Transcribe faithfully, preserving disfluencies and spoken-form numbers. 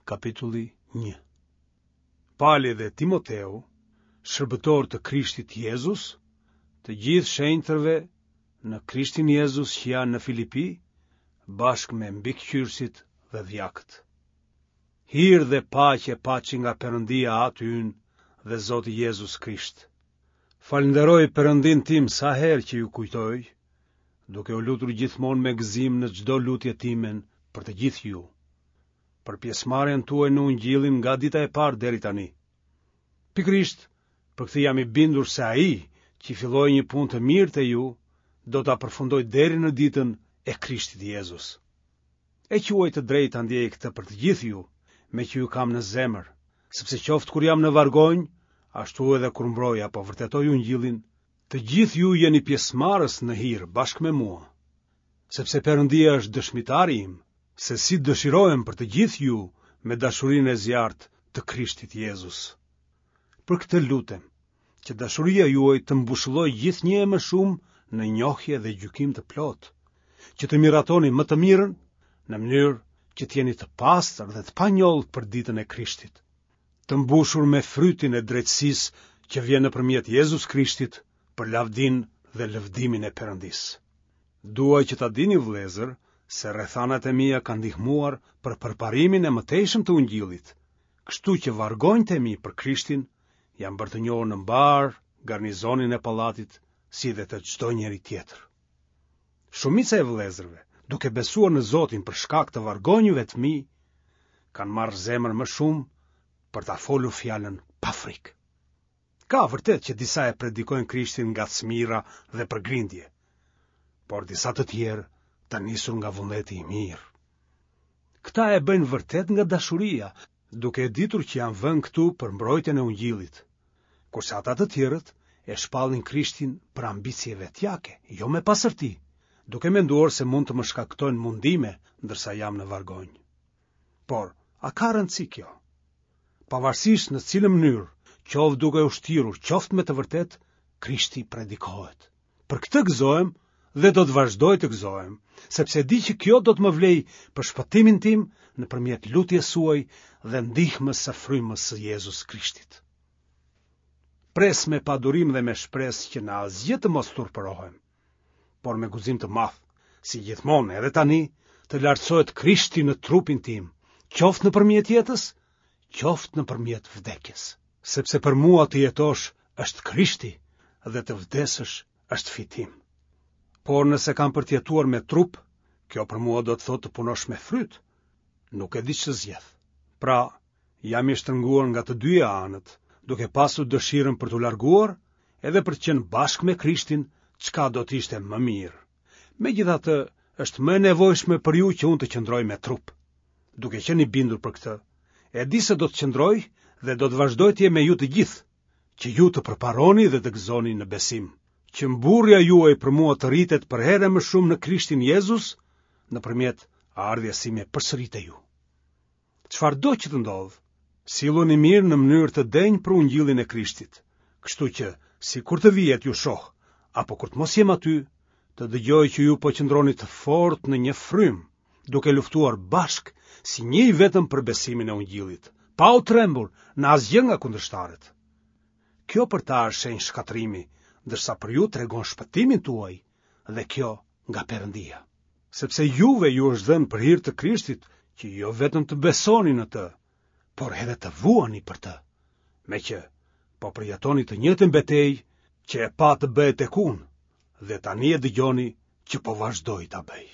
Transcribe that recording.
Kapitulli një. Pali dhe Timoteu, shërbëtorë të Krishtit Jezus, të gjithë shenjtërve në Krishtin Jezus që janë në Filipi, bashkë me mbikëqyrësit dhe dhjakët. Hir dhe paqe paçi nga Perëndia Ati ynë dhe Zoti Jezus Krisht. Falënderoj Perëndinë tim sa herë që ju kujtoj, duke u lutur gjithmonë me gëzim në çdo lutje timen për të gjithë ju, për pjesëmarrjen tuaj në Ungjillin nga dita e parë deri tani. Pikërisht për këtë jam i bindur se ai që filloi një punë të mirë te ju, do ta përfundojë deri në ditën e Krishtit Jezus. E quaj të drejtë ta ndiej këtë për të gjithë ju, meqë ju kam në zemër, sepse qoftë kur jam në vargonj, ashtu edhe kur mbroj apo vërtetoj Ungjillin, të gjithë ju jeni pjesëmarrës në hir bashkë me mua. Sepse Perëndia është dëshmitari im, se si dëshirohem për të gjithë ju me dashurinë e zjarrtë të Krishtit Jezus. Për këtë lutem, që dashuria juaj të mbushëllojë gjithnjë e më shumë në njohje dhe gjykim të plotë, që të miratoni më të mirën, në mënyrë që të jeni të pastër dhe të panjollë për ditën e Krishtit, të mbushur me frytin e drejtësisë që vjen nëpërmjet Jezus Krishtit për lavdinë dhe lëvdimin e Perëndisë. Dua që ta dini vëllezër se rrethanat e mia kanë ndihmuar për përparimin e mëtejshëm të Ungjillit, kështu që vargonjtë e mi për Krishtin janë bërë të njohur në mbarë garnizonin e pallatit si dhe te çdo njeri tjetër. Shumica e vëllezërve, duke besuar në Zotin për shkak të vargonjve të mi, kanë marrë zemër më shumë për ta folur fjalën pa frikë. Ka vërtet që disa e predikojnë Krishtin nga smira dhe për grindje, por disa të tjerë të nisur nga vullneti i mirë. Këta e bëjnë vërtet nga dashuria, duke e ditur që janë vënë këtu për mbrojtjen e Ungjillit, kurse ata të tjerët e shpallin Krishtin për ambicie vetjake, jo me pastërti, duke menduar se mund të më shkaktojnë mundime ndërsa jam në vargonj. Por, a ka rëndësi kjo? Pavarësisht në cilën mënyrë, qoftë duke u shtirur, qoftë me të vërtetë, Krishti predikohet. Për këtë gëzohem dhe do të vazhdoj të gëzohem, sepse di që kjo do të më vlejë për shpëtimin tim nëpërmjet lutjes suaj dhe ndihmës së frymës së Jezus Krishtit. Pres me padurim dhe me shpresë që në asgjë të mos turpërohem, por me guxim të madh, si gjithmonë edhe tani, të lartësohet Krishti në trupin tim, qoftë nëpërmjet jetës, qoftë nëpërmjet vdekjes. Sepse për mua të jetosh është Krishti dhe të vdesësh është fitim. Por nëse kam për të jetuar me trup, kjo për mua do të thotë të punosh me fryt. Nuk e di ç'të zgjedh. Pra, jam i shtrënguar nga të dyja anët, duke pasur dëshirën për t'u larguar, edhe për të qenë bashkë me Krishtin, çka do të ishte më mirë. Megjithatë, është më e nevojshme për ju që unë të qëndroj me trup. Duke qenë i bindur për këtë, e di se do të qëndroj dhe do të vazhdoj të jem me ju të gjithë, që ju të përparoni dhe të gëzoni në besim, që mburrja juaj për mua të rritet përherë më shumë në Krishtin Jezus, nëpërmjet ardhjes sime përsëri te ju. Çfarëdo që të ndodhë, silluni mirë në mënyrë të denjë për Ungjillin e Krishtit, kështu që sikur të vij e t'ju shoh, apo kur të mos jem aty, të dëgjoj që ju po qëndroni të fortë në një frymë, duke luftuar bashkë si një i vetëm për besimin e Ungjillit, pa u trembur në asgjë nga kundërshtarët. Kjo për ta është shenjë shkatërrimi, ndërsa për ju tregon shpëtimin tuaj, dhe kjo nga Perëndia. Sepse juve ju është dhënë për hir të Krishtit që jo vetëm të besoni në të, por edhe të vuani për të, meqë po përjetoni të njëjtën betejë që e patë të bëhet tek unë, dhe tani e dëgjoni që po vazhdoj ta bëj.